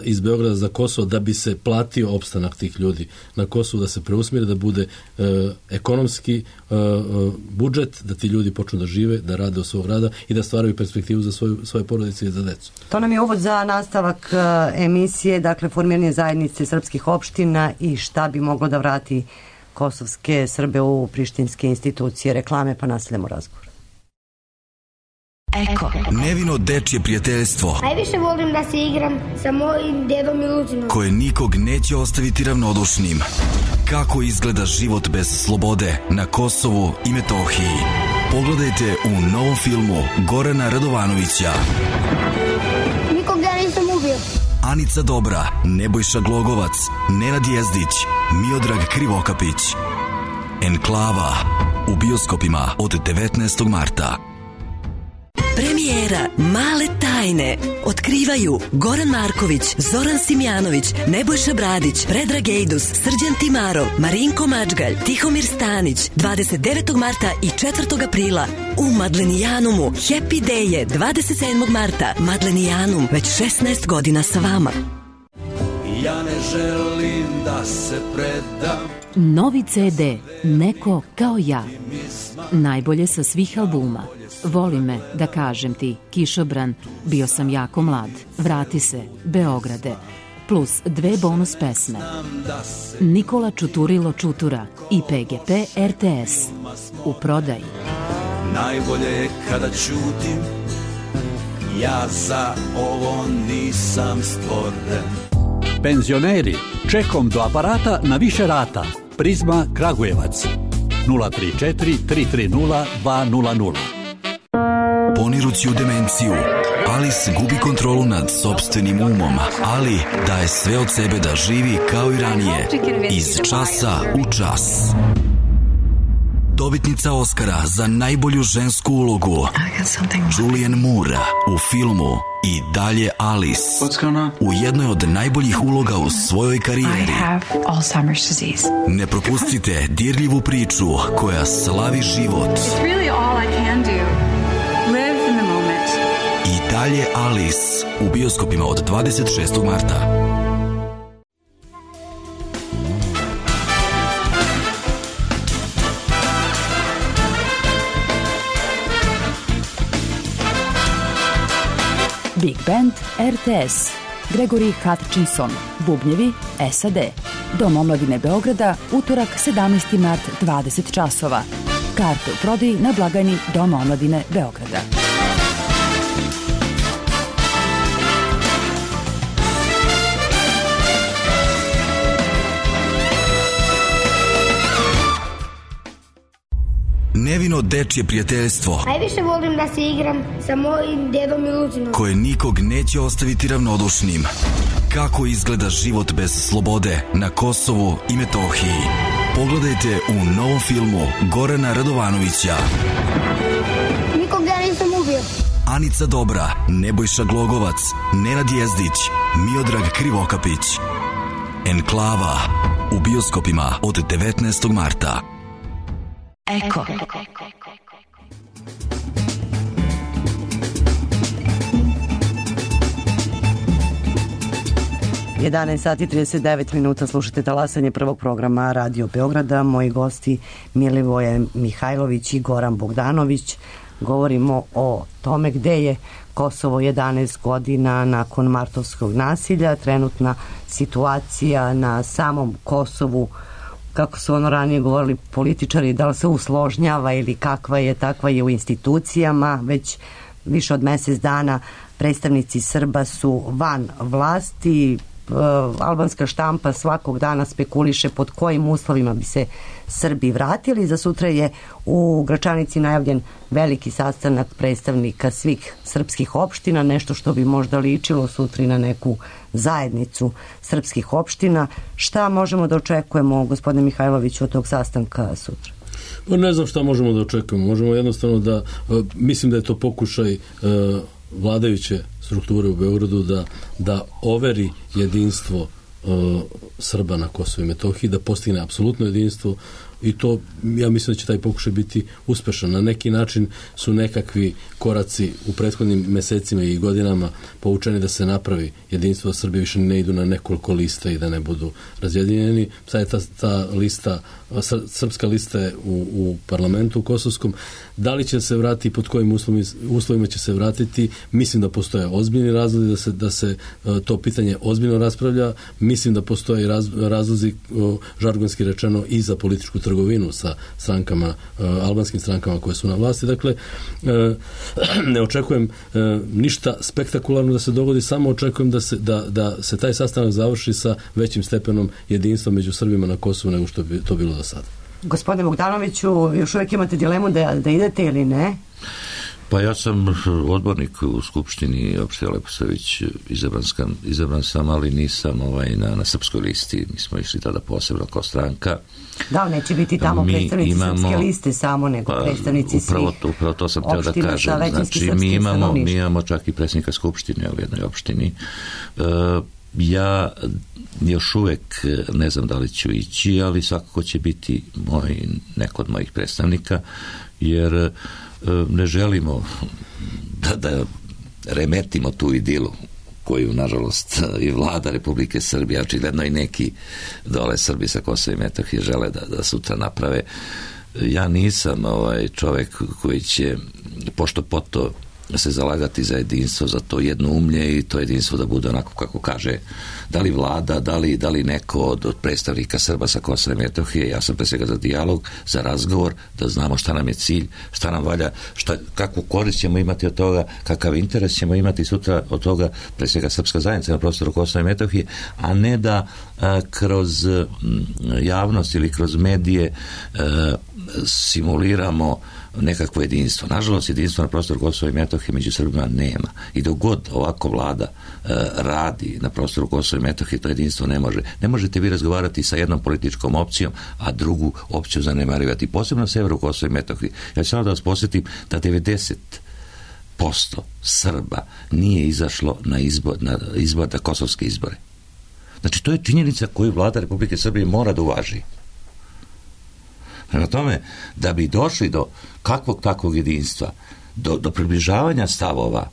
iz Beograda za Kosovo da bi se platio opstanak tih ljudi na Kosovu, da se preusmjeri, da bude ekonomski budžet, da ti ljudi počnu da žive, da rade od svog rada i da stvaraju perspektivu za svoje porodice i za decu. To nam je uvod za nastavak emisije, dakle formiranje zajednice srpskih opština i šta bi moglo da vrati kosovske Srbe u prištinske institucije. Reklame, pa nastavljamo razgovor. Eko. Nevino dečje prijateljstvo Najviše volim da se igram sa mojim dedom Miluzinom. koje nikog neće ostaviti ravnodušnim. Kako izgleda život bez slobode na Kosovu i Metohiji? Pogledajte u novom filmu Gorana Radovanovića. Nikog ja nisam ubio. Anica Dobra, Nebojša Glogovac, Nenad Jezdić, Miodrag Krivokapić. Enklava u bioskopima od 19. marta. Premijera Male tajne otkrivaju Goran Marković, Zoran Simjanović, Nebojša Bradić, Predrag Ejdus, Srđan Timarov, Marinko Mačgalj, Tihomir Stanić 29. marta i 4. aprila u Madlenijanumu. Happy Day je 27. marta. Madlenijanum već 16 godina sa vama. Ja ne želim da se predam. Novi CD Neko kao ja. Najbolje sa svih albuma. Voli me, da kažem ti, Kišobran, bio sam jako mlad, vrati se, Beograde, plus 2 bonus pesme. Nikola Čuturilo Čutura i PGP RTS. U prodaji. Najbolje je kada ćutim, ja za ovo nisam stvoren. Penzioneri, čekom do aparata na više rata. Prizma Kragujevac 034 330 200. Ponirući u demenciju, Alice gubi kontrolu nad sopstvenim umom, ali daje sve od sebe da živi kao i ranije, iz časa u čas. Dobitnica Oscara za najbolju žensku ulogu Julianne Moore u filmu I dalje Alice, u jednoj od najboljih uloga u svojoj karijeri. Ne propustite dirljivu priču koja slavi život. I dalje Alice u bioskopima od 26. marta. Big Band RTS. Gregory Hutchinson. Bubnjevi SAD. Dom omladine Beograda, utorak 17. mart 20 časova. Karte u prodaji na blagajni Doma omladine Beograda. Nevino dečje prijateljstvo Najviše volim da se igram sa mojim dedom Miluzinom. koje nikog neće ostaviti ravnodušnim. Kako izgleda život bez slobode na Kosovu i Metohiji? Pogledajte u novom filmu Gorana Radovanovića. Nikog ja nisam ubio. Anica Dobra, Nebojša Glogovac, Nenad Jezdić, Miodrag Krivokapić. Enklava u bioskopima od 19. marta. Eko. 11 sati 39 minuta, slušate talasanje prvog programa Radio Beograda. Moji gosti Milivoje Mihajlović i Goran Bogdanović. Govorimo o tome gde je Kosovo 11 godina nakon martovskog nasilja, trenutna situacija na samom Kosovu, kako su ono ranije govorili političari, da li se usložnjava ili kakva je, takva je u institucijama. Već više od mesec dana predstavnici Srba su van vlasti. Albanska štampa svakog dana spekuliše pod kojim uslovima bi se Srbi vratili. Za sutra je u Gračanici najavljen veliki sastanak predstavnika svih srpskih opština, nešto što bi možda ličilo sutra na neku zajednicu srpskih opština. Šta možemo da očekujemo, gospodine Mihajloviću, od tog sastanka sutra? Pa ne znam šta možemo da očekujemo. Možemo jednostavno da, mislim da je to pokušaj vladajuće strukture u Beogradu da overi jedinstvo Srba na Kosovu i Metohiji, da postigne apsolutno jedinstvo, i to, ja mislim da će taj pokušaj biti uspešan. Na neki način su nekakvi koraci u prethodnim mesecima i godinama povučeni da se napravi jedinstvo, da Srbi više ne idu na nekoliko lista i da ne budu razjedinjeni. Sad je ta lista, srpska lista je u parlamentu kosovskom. Da li će se vratiti, pod kojim uslovima će se vratiti, mislim da postoje ozbiljni razlozi da se to pitanje ozbiljno raspravlja. Mislim da postoje razlozi, žargonski rečeno, i za političku trgovinu trgovinu sa strankama, albanskim strankama koje su na vlasti. Dakle, ne očekujem ništa spektakularno da se dogodi, samo očekujem da se taj sastanak završi sa većim stepenom jedinstva među Srbima na Kosovu nego što bi to bilo do sada. Gospodine Bogdanoviću, još uvijek imate dilemu da idete ili ne? Pa ja sam odbornik u Skupštini opštine Leposavić, izabran sam, ali nisam na srpskoj listi. Mi smo išli tada posebno kao stranka. Da, neće biti tamo predstavnici srpske liste samo, nego predstavnici svih upravo to sam teo da kažem. Znači, mi imamo čak i predsjednika Skupštine u jednoj opštini. Ja još uvek ne znam da li ću ići, ali svakako će biti neko od mojih predstavnika, jer ne želimo da remetimo tu idilu koju, nažalost, i vlada Republike Srbije, očigledno i neki dole Srbi sa Kosova i Metohije žele da sutra naprave. Ja nisam čovek koji će pošto poto se zalagati za jedinstvo, za to jednoumlje i to jedinstvo da bude onako kako kaže da li vlada, da li neko od predstavnika Srba sa Kosova i Metohije. Ja sam pre svega za dijalog, za razgovor, da znamo šta nam je cilj, šta nam valja, kakvu korist ćemo imati od toga, kakav interes ćemo imati sutra od toga, pre svega srpska zajednica na prostoru Kosova i Metohije, a ne da kroz javnost ili kroz medije simuliramo nekakvo jedinstvo. Nažalost, jedinstvo na prostoru Kosova i Metohije među Srbima nema. I dok god ovako vlada radi na prostoru Kosova i Metohije, to jedinstvo ne može. Ne možete vi razgovarati sa jednom političkom opcijom, a drugu opciju zanemarivati. Posebno na severu Kosova i Metohije. Ja ću samo da vas posjetim da 90% Srba nije izašlo na izbor, na kosovske izbore. Znači, to je činjenica koju vlada Republike Srbije mora da uvaži. Prema tome, da bi došli do kakvog takvog jedinstva, do približavanja stavova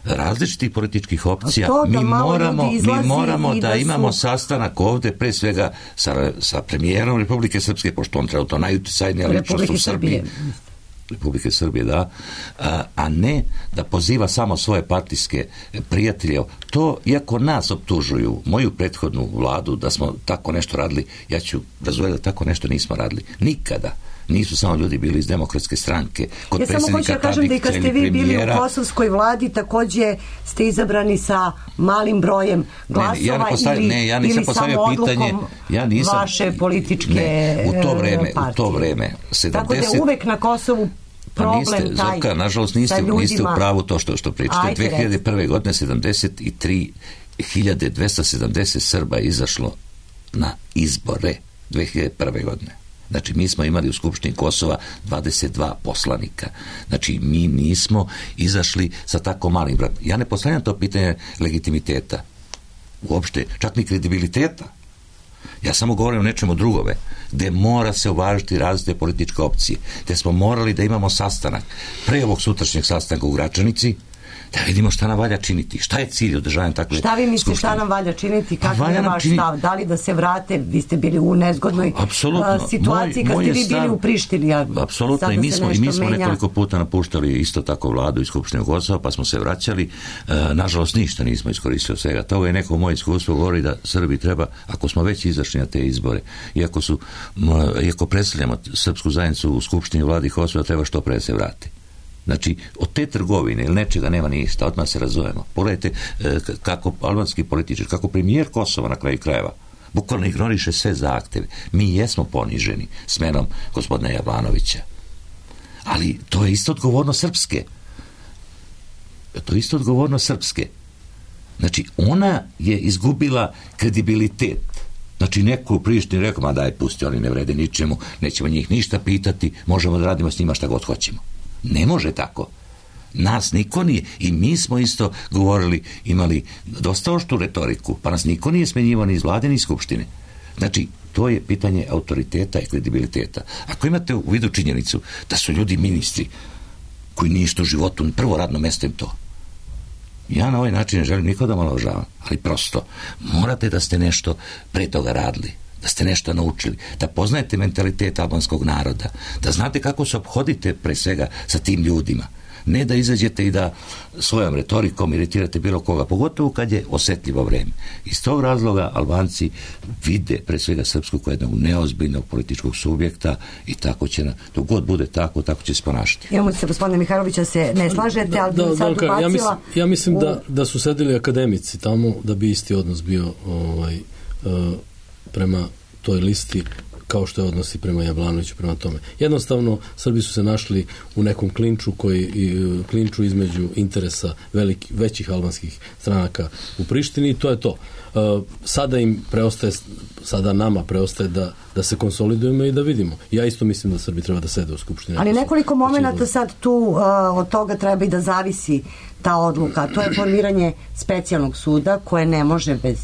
različitih političkih opcija, mi moramo da imamo sastanak ovde, pre svega sa premijerom Republike Srpske, pošto on trenutno najuticajnija ličnost u Srbiji. Republike Srbije, da, a ne da poziva samo svoje partijske prijatelje. To, iako nas optužuju, moju prethodnu vladu, da smo tako nešto radili, ja ću razumjeti da tako nešto nismo radili. Nikada. Nisu samo ljudi bili iz Demokratske stranke. Kod ja samo hoću da kažem da i kad ste vi bili u kosovskoj vladi, takođe ste izabrani sa malim brojem glasova ili samo odlukom vaše političke partije. U to vreme 70... Tako da je uvek na Kosovu problem taj Zorka, nažalost niste u pravu to što pričate. 2001. godine 73.270 Srba je izašlo na izbore 2001. godine. Znači, mi smo imali u Skupštini Kosova 22 poslanika. Znači, mi nismo izašli sa tako malim brojem. Ja ne postavljam to pitanje legitimiteta. Uopšte, čak ni kredibiliteta. Ja samo govorim o nečemu drugome, gde mora se uvažiti različite političke opcije, gde smo morali da imamo sastanak pre ovog sutrašnjeg sastanka u Gračanici, da vidimo šta nam valja činiti, šta je cilj održavanja takve skupštine. Šta vi mislite šta nam valja činiti, kakav je vaš stav, da li da se vrate, vi ste bili u nezgodnoj situaciji kad ste vi bili u Prištini. Apsolutno, i mi smo nekoliko puta napuštali isto tako vladu i Skupštinu Kosova, pa smo se vraćali, nažalost ništa nismo iskoristili od svega toga i neko moje iskustvo govori da Srbi treba, ako smo već izašli na te izbore, iako predstavljamo srpsku zajednicu u Skupštini vladi Kosova, treba što pre se vrati. Znači, od te trgovine ili nečega nema ništa, odmah se razumemo. Pogledajte kako albanski političar, kako premijer Kosova na kraju krajeva bukvalno ignoriše sve zahteve. Mi jesmo poniženi smenom gospodina Jovanovića. Ali to je isto odgovornost Srpske. Znači, ona je izgubila kredibilitet. Znači, neko u Prištini rekao, ma daj, pusti, oni ne vrede ničemu, nećemo njih ništa pitati, možemo da radimo s njima šta god hoćemo. Ne može tako. Nas niko nije. I mi smo isto govorili, imali dosta oštru retoriku, pa nas niko nije smenjivao ni iz vlade ni iz Skupštine. Znači, to je pitanje autoriteta i kredibiliteta. Ako imate u vidu činjenicu da su ljudi ministri koji ništa u životu, prvo radno mesto im to. Ja na ovaj način ne želim nikoga da omalovažavam, ali prosto morate da ste nešto pre toga radili, da ste nešto naučili, da poznajete mentalitet albanskog naroda, da znate kako se ophodite pre svega sa tim ljudima. Ne da izađete i da svojom retorikom iritirate bilo koga, pogotovo kad je osetljivo vreme. Iz tog razloga Albanci vide pre svega Srpsku kao jednog neozbiljnog političkog subjekta i tako će, dok god bude tako će se ponašati. Imamo se, gospodine Mihajlovića, se ne slažete, ali bi sad ubacila... Ja mislim da su sedeli akademici tamo da bi isti odnos bio prema toj listi kao što je odnosi prema Jablanoviću, prema tome. Jednostavno, Srbi su se našli u nekom klinču između interesa većih albanskih stranaka u Prištini i to je to. Sada nama preostaje da se konsolidujemo i da vidimo. Ja isto mislim da Srbi treba da sede u Skupštini. Ali nekoliko momenata sad tu od toga treba i da zavisi ta odluka. To je formiranje specijalnog suda koje ne može bez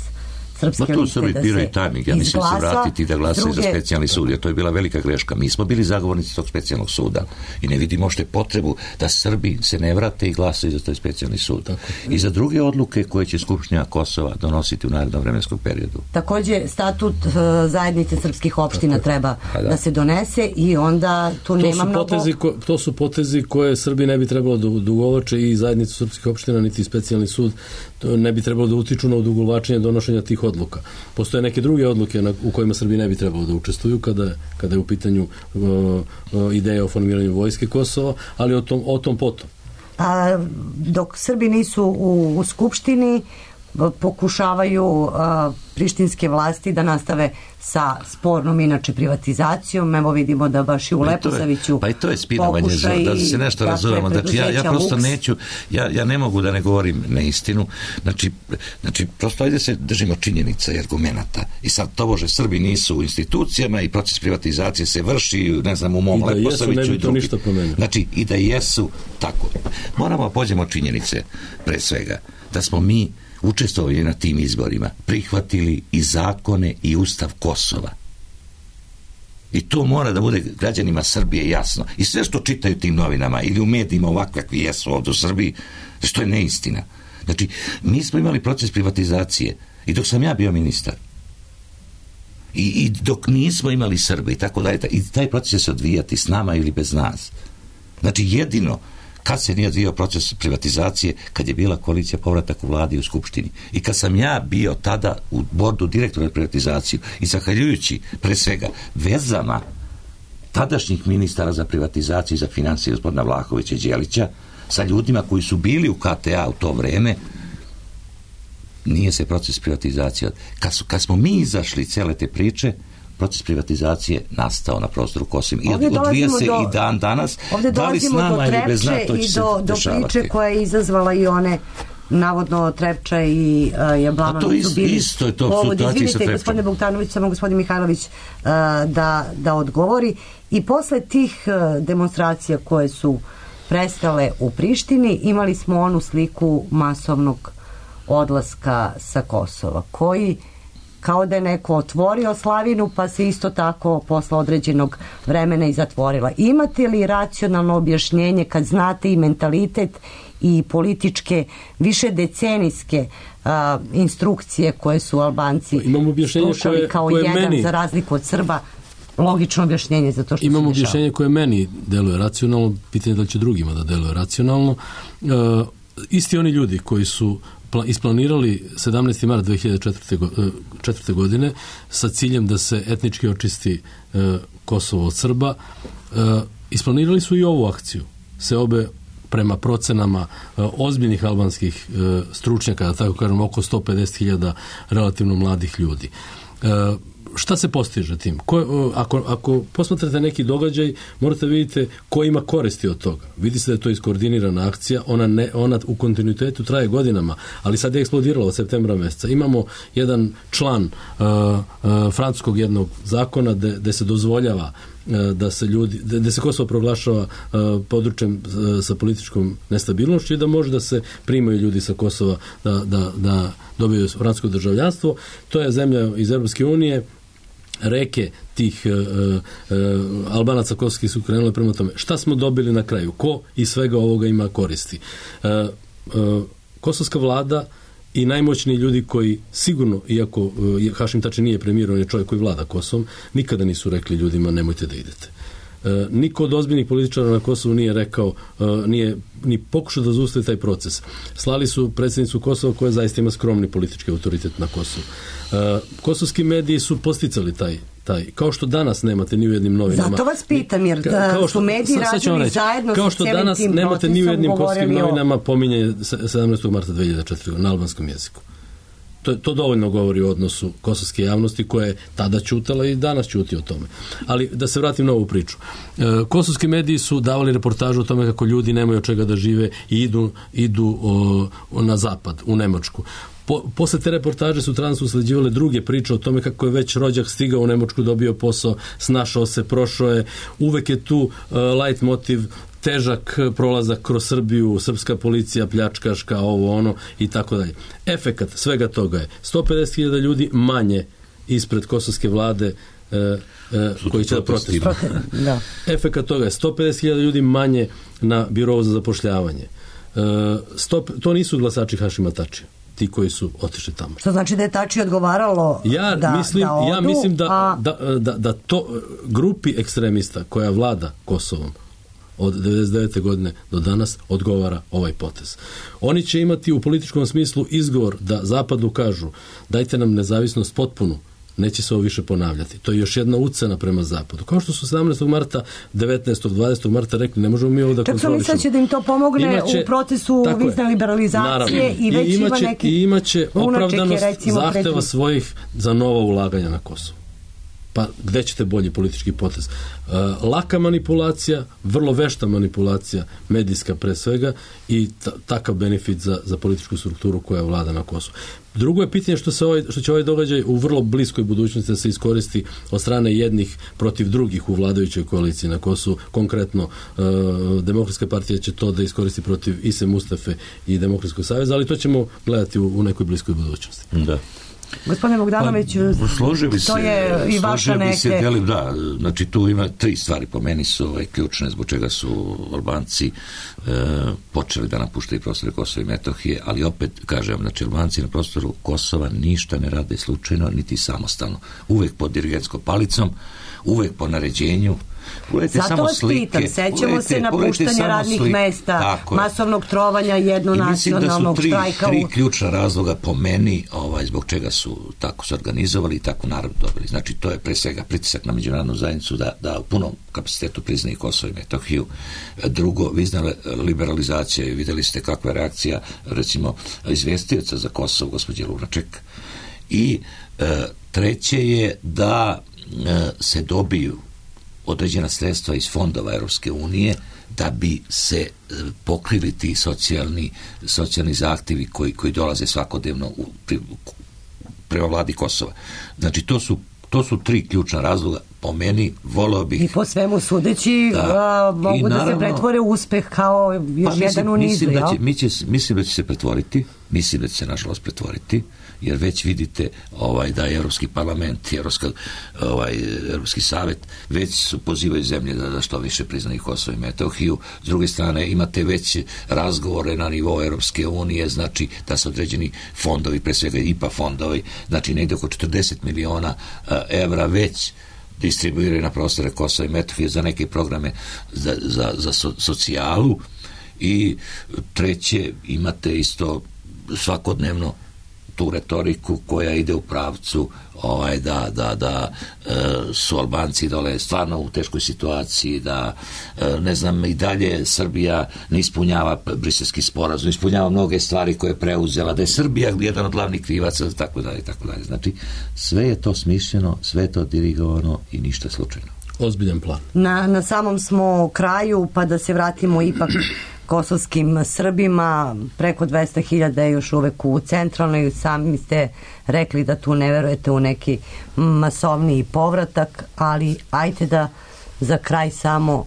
srpske liste da se izglasa. Biraju tajming. Ja mislim se vratiti da glasaju za specijalni sud, jer to je bila velika greška. Mi smo bili zagovornici tog specijalnog suda i ne vidimo što je potrebu da Srbi se ne vrate i glasaju za taj specijalni sud. I za druge odluke koje će Skupština Kosova donositi u narednom vremenskom periodu. Također, statut zajednice srpskih opština treba da se donese i onda tu nema mnogo... To su potezi koje Srbi ne bi trebalo da ugovače i zajednicu srpskih opština, niti specijalni sud ne bi trebalo da utiču na odugovlačenje donošenja tih odluka. Postoje neke druge odluke u kojima Srbi ne bi trebalo da učestvuju kada je u pitanju ideja o formiranju vojske Kosova, ali o tom potom. Dok Srbi nisu u Skupštini, pokušavaju prištinske vlasti da nastave sa spornom inače privatizacijom. Evo vidimo da baš i u Leposaviću pa i to je spinovanje, da se nešto razumemo. Znači, ja prosto neću, ja ne mogu da ne govorim neistinu. Znači prosto ajde se držimo činjenica i argumenata. I sad tobože Srbi nisu u institucijama i proces privatizacije se vrši, ne znam, u mom Leposaviću i drugi. Znači, i da jesu tako. Moramo pođemo činjenice pre svega. Da smo mi učestvovali na tim izborima, prihvatili i zakone i ustav Kosova. I to mora da bude građanima Srbije jasno. I sve što čitaju tim novinama ili u medijima ovakve kakvi jesu ovdje u Srbiji, što je neistina. Znači, mi smo imali proces privatizacije i dok sam ja bio ministar i dok nismo imali Srbe i tako dalje, i taj proces će se odvijati s nama ili bez nas. Znači, jedino kad se nije odvijao proces privatizacije, kad je bila koalicija povratak u vladi i u Skupštini. I kad sam ja bio tada u bordu direktora privatizaciju i zahvaljujući pre svega vezama tadašnjih ministara za privatizaciju i za financije gospodina Vlahovića i Đelića sa ljudima koji su bili u KTA u to vreme, nije se proces privatizacije. Kad smo mi izašli cele te priče, proces privatizacije nastao na prostoru Kosova i odvija se i dan danas. Ovdje dolazimo do Trepče i do priče koja je izazvala i one navodno Trepča i Jablanović su bili povod. Izvinite, gospodine Bogdanović, samo gospodin Mihajlović da odgovori. I posle tih demonstracija koje su prestale u Prištini, imali smo onu sliku masovnog odlaska sa Kosova, koji kao da je neko otvorio slavinu, pa se isto tako posle određenog vremena i zatvorila. Imate li racionalno objašnjenje kad znate i mentalitet i političke više decenijske instrukcije koje su Albanci slušali kao jedan za razliku od Srba? Logično objašnjenje za to što se dešava. Imamo objašnjenje koje meni deluje racionalno, pitanje da li će drugima da deluje racionalno. Isti oni ljudi koji su isplanirali 17. mart 2004. godine sa ciljem da se etnički očisti Kosovo od Srba, isplanirali su i ovu akciju. Se obe prema procenama ozbiljnih albanskih stručnjaka, da tako kažem, oko 150.000 relativno mladih ljudi. Šta se postiže tim? Ako posmatrate neki događaj, morate vidjeti ko ima koristi od toga. Vidi se da je to iskoordinirana akcija, ona u kontinuitetu traje godinama, ali sad je eksplodirala od septembra mjeseca. Imamo jedan član francuskog jednog zakona gde se dozvoljava da se Kosovo proglašava područjem sa političkom nestabilnošću i da može da se primaju ljudi sa Kosova da dobiju francusko državljanstvo. To je zemlja iz Europske unije. Reke tih Albanaca kosovskih su krenule prema tome. Šta smo dobili na kraju? Ko iz svega ovoga ima koristi? Kosovska vlada i najmoćniji ljudi koji sigurno, iako Hašim Tači nije premijer, on je čovjek koji vlada Kosovom, nikada nisu rekli ljudima nemojte da idete. Niko od ozbiljnih političara na Kosovu nije rekao, nije ni pokušao da zaustavi taj proces. Slali su predsjednicu Kosova koja zaista ima skromni politički autoritet na Kosovu. Kosovski mediji su posticali taj, kao što danas nemate ni u jednim novinama. Zato vas pitam, jer su mediji radili zajedno kao sa što cijelim danas tim nemate ni u jednim procesom, kosovskim govorili novinama pominjanje 17. marta 2004. na albanskom jeziku. To dovoljno govori o odnosu kosovske javnosti koja je tada ćutala i danas ćuti o tome. Ali da se vratim na ovu priču. Kosovski mediji su davali reportažu o tome kako ljudi nemaju od čega da žive i idu na zapad, u Nemačku. Posle te reportaže sutradan su usleđivale druge priče o tome kako je već rođak stigao u Nemačku, dobio posao, snašao se, prošao je. Uvek je tu light motiv, težak prolazak kroz Srbiju, srpska policija, pljačkaška, ovo ono i tako dalje. Efekat svega toga je 150.000 ljudi manje ispred kosovske vlade koji će da protestuju. Efekat toga je 150.000 ljudi manje na birovu za zapošljavanje. To nisu glasači Hašima Tačija, ti koji su otišli tamo. Što znači da je Tači odgovaralo ja mislim da to grupi ekstremista koja vlada Kosovom od 1999. godine do danas odgovara ovaj potez. Oni će imati u političkom smislu izgovor da Zapadu kažu dajte nam nezavisnost potpunu, neće se ovo više ponavljati. To je još jedna ucena prema Zapadu. Kao što su 17. marta, 19. 20. marta rekli, ne možemo mi ovo da kontrolišemo. Čak su misleći da im to pomogne u procesu vizne liberalizacije. Naravno. I već ima neki i imaće opravdanost zahteva svojih za nova ulaganja na Kosovu. Pa gde ćete bolji politički potez? Laka manipulacija, vrlo vešta manipulacija, medijska pre svega i takav benefit za političku strukturu koja vlada na Kosovu. Drugo je pitanje što će ovaj događaj u vrlo bliskoj budućnosti da se iskoristi od strane jednih protiv drugih u vladajućoj koaliciji na Kosovu. Konkretno, Demokratska partija će to da iskoristi protiv Ise Mustafe i Demokratskog saveza, ali to ćemo gledati u nekoj bliskoj budućnosti. Da. Gospodine Bogdanoviću, to je i vaša neke... Znači tu ima 3 stvari po meni su ključne zbog čega su Albanci počeli da napuštaju prostore Kosova i Metohije, ali opet kažem, znači Albanci na prostoru Kosova ništa ne rade slučajno niti samostalno. Uvek pod dirigentskom palicom, uvek po naređenju. Zato vas pitam, sećamo se napuštanja radnih mesta, masovnog trovanja jednonacionalnog štrajka. Mislim da su 3 ključna razloga po meni zbog čega su tako se organizovali i tako narod dobili. Znači to je pre svega pritisak na međunarodnu zajednicu da u punom kapacitetu priznaje Kosovo i Metohiju. Drugo, vizna liberalizacija, videli ste kakva je reakcija recimo izvestioca za Kosovo, gospođe Lunaček. I treće je da se dobiju određena sredstva iz fondova Europske unije da bi se pokrili ti socijalni zahtjevi koji dolaze svakodnevno prema vladi Kosova. Znači to su 3 ključna razloga. Po meni voleo bih... I po svemu sudeći mogu da se pretvore u uspeh kao još jedan u nizu. Mislim da će se pretvoriti, mislim da će se nažalost pretvoriti, jer već vidite da je Europski parlament i Europski savjet već su pozivaju zemlje da što više priznaju Kosovo i Metohiju. S druge strane imate već razgovore na nivou Europske unije, znači da su određeni fondovi, pre svega IPA fondovi, znači negde oko 40 miliona evra već distribuiraju na prostore Kosova i Metohije za neke programe za socijalu. I treće, imate isto svakodnevno tu retoriku koja ide u pravcu da su Albanci dole stvarno u teškoj situaciji, da ne znam, i dalje Srbija ne ispunjava Briselski sporazum, ispunjava mnoge stvari koje je preuzela, da je Srbija jedan od glavnih krivaca, tako dalje. Znači, sve je to smišljeno, sve je to dirigovano i ništa slučajno. Ozbiljan plan. Na samom smo kraju, pa da se vratimo ipak kosovskim Srbima, preko 200.000 je još uvek u centralnoj, sami ste rekli da tu ne verujete u neki masovniji povratak, ali ajte da za kraj samo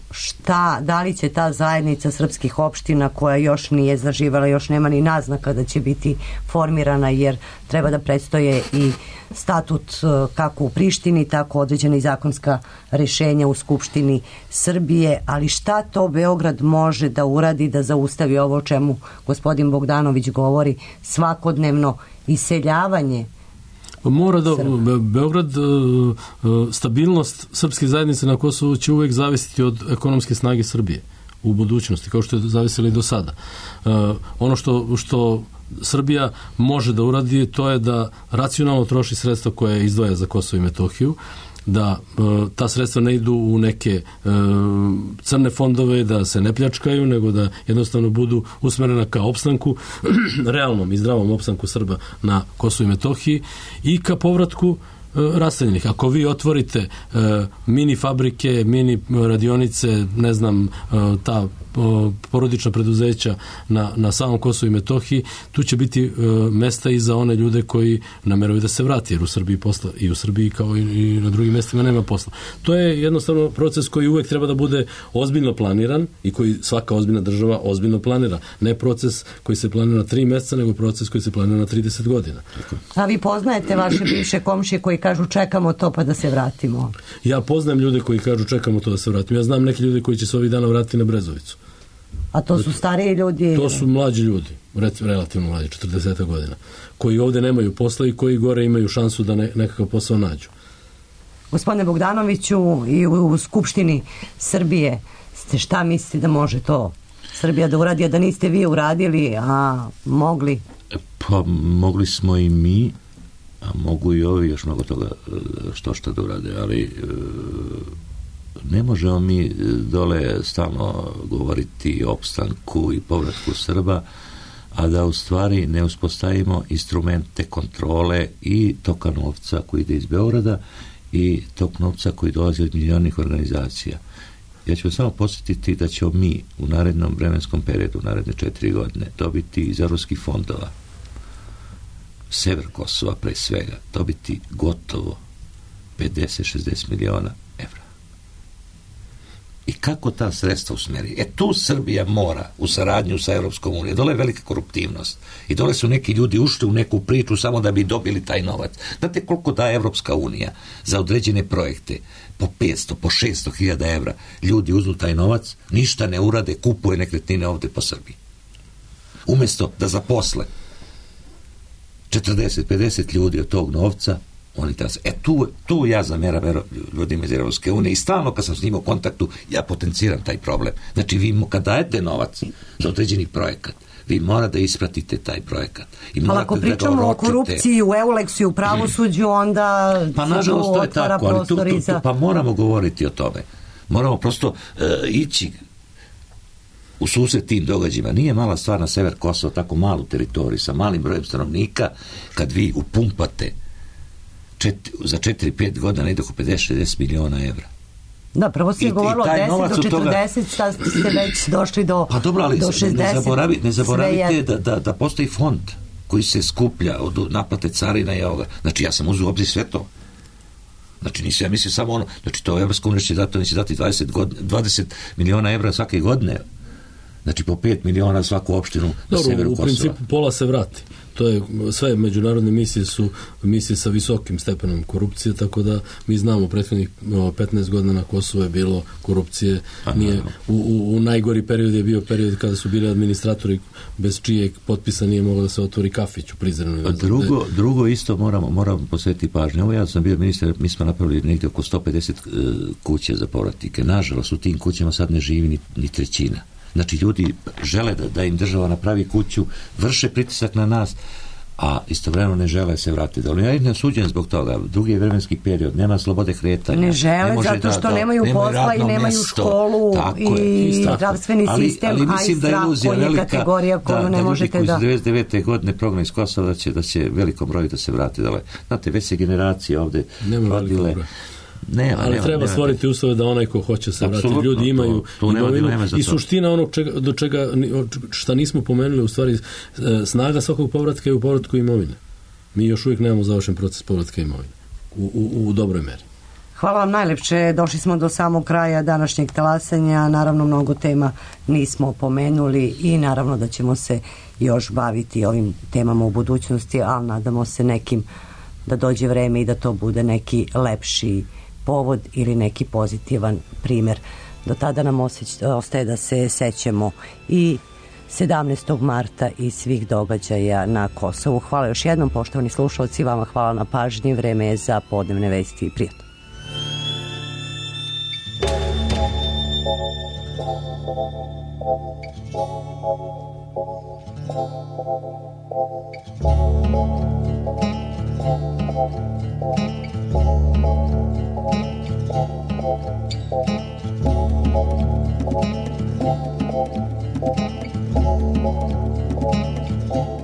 da li će ta zajednica srpskih opština koja još nije zaživala, još nema ni naznaka da će biti formirana, jer treba da predstoje i statut kako u Prištini, tako određena i zakonska rešenja u Skupštini Srbije, ali šta to Beograd može da uradi da zaustavi ovo o čemu gospodin Bogdanović govori, svakodnevno iseljavanje Mora da Beograd, stabilnost srpske zajednice na Kosovu će uvek zavisiti od ekonomske snage Srbije u budućnosti, kao što je zavisilo i do sada. Ono što Srbija može da uradi, to je da racionalno troši sredstva koje izdvaja za Kosovo i Metohiju, da ta sredstva ne idu u neke crne fondove, da se ne pljačkaju, nego da jednostavno budu usmerena ka opstanku, realnom i zdravom opstanku Srba na Kosovu i Metohiji i ka povratku raseljenih. Ako vi otvorite mini fabrike, mini radionice, ne znam, ta porodična preduzeća na samom Kosovu i Metohiji, tu će biti mesta i za one ljude koji nameruju da se vrati, jer u Srbiji posla, i u Srbiji kao i na drugim mestima nema posla. To je jednostavno proces koji uvek treba da bude ozbiljno planiran i koji svaka ozbiljna država ozbiljno planira. Ne proces koji se planira na 3 meseca, nego proces koji se planira na 30 godina. A vi poznajete vaše bivše komšije koji kažu čekamo to pa da se vratimo? Ja poznajem ljude koji kažu čekamo to da se vratimo. Ja znam neke ljude koji će se ovih dana vratiti na Brezovicu. A to su stariji ljudi? To su mlađi ljudi, relativno mlađi, 40 godina, koji ovde nemaju posla i koji gore imaju šansu da nekakav posao nađu. Gospodine Bogdanoviću, i u Skupštini Srbije ste šta mislite da može to Srbija da uradi, a da niste vi uradili, a mogli? Pa mogli smo i mi, a mogu i ovi još mnogo toga što da urade, ali ne možemo mi dole stalno govoriti o opstanku i povratku Srba, a da u stvari ne uspostavimo instrumente kontrole i toka novca koji ide iz Beograda i tok novca koji dolazi od međunarodnih organizacija. Ja ću samo podsjetiti da ćemo mi u narednom vremenskom periodu, naredne 4 godine, dobiti iz evropskih fondova, sever Kosova pre svega, dobiti gotovo 50-60 miliona evra. I kako ta sredstva usmeri? Tu Srbija mora u saradnju sa Evropskom unijom. Dole je velika koruptivnost. I dole su neki ljudi ušli u neku priču samo da bi dobili taj novac. Znate koliko daje Evropska unija za određene projekte? Po 500, po 600 hiljada evra. Ljudi uzmu taj novac, ništa ne urade, kupuje nekretnine ovde po Srbiji. Umesto da zaposle 40-50 ljudi od tog novca, oni tu ja zameram ljudima iz Evropske unije i stalno kad sam s njima u kontaktu ja potenciram taj problem. Znači vi kad dajete novac za određeni projekat, vi mora da ispratite taj projekat. Ali ako pričamo o korupciji u Euleksu i u pravosuđu, onda pa nažalost to je tako, ali pa moramo govoriti o tome. Moramo prosto ići u susret tim događajima. Nije mala stvar na sever Kosova, tako malu teritoriju sa malim brojem stanovnika, kad vi upumpate za 4-5 godina ne ide oko 50-60 miliona evra. Da, prvo se je govorilo 10 do 40, sad ste već došli do 60. Pa dobro, ali ne zaboravite da postoji fond koji se skuplja od naplate carina i ovoga. Znači, ja sam uzeo u obzir sve to. Znači, nisam ja mislio samo ono, znači, to Evropska unija će dati 20 miliona evra svake godine. Znači, po 5 miliona svaku opštinu na severu Kosova. U principu pola se vrati. To je, sve međunarodne misije su misije sa visokim stepenom korupcije, tako da mi znamo prethodnih 15 godina na Kosovu je bilo korupcije. U najgori period je bio period kada su bili administratori bez čijeg potpisa nije moglo da se otvori kafić u Prizrenu. Drugo isto moramo posvetiti pažnju. Ovo ja sam bio ministar, mi smo napravili negdje oko 150 kuća za povratnike. Nažalost, u tim kućama sad ne živi ni trećina. Znači, ljudi žele da im država napravi kuću, vrše pritisak na nas, a istovremeno ne žele se vratiti dole. Ja ne osuđujem zbog toga. Drugi je vremenski period, nema slobode kretanja. Ne žele zato što nemaju posla i nemaju školu i zdravstveni sistem, a i zdravstvo je kategorija koju ne možete da... Da ljudi koji iz 99. godine progna iz Kosova da će velikom broju da se vrati dole. Znate, već se generacije ovde rodile. Ali treba stvoriti uslove da onaj ko hoće se vratiti. Ljudi imaju imovinu i suština onog do čega šta nismo pomenuli, u stvari snaga svakog povratka je u povratku imovine. Mi još uvijek nemamo završen proces povratka imovine u dobroj meri. Hvala vam najlepše. Došli smo do samog kraja današnjeg talasanja. Naravno, mnogo tema nismo pomenuli i naravno da ćemo se još baviti ovim temama u budućnosti, ali nadamo se nekim da dođe vreme i da to bude neki lepši povod ili neki pozitivan primjer. Do tada nam ostaje da se sećamo i 17. marta i svih događaja na Kosovu. Hvala još jednom, poštovani slušalci, vama hvala na pažnji. Vreme je za podnevne vesti. Prijatno. Thank you.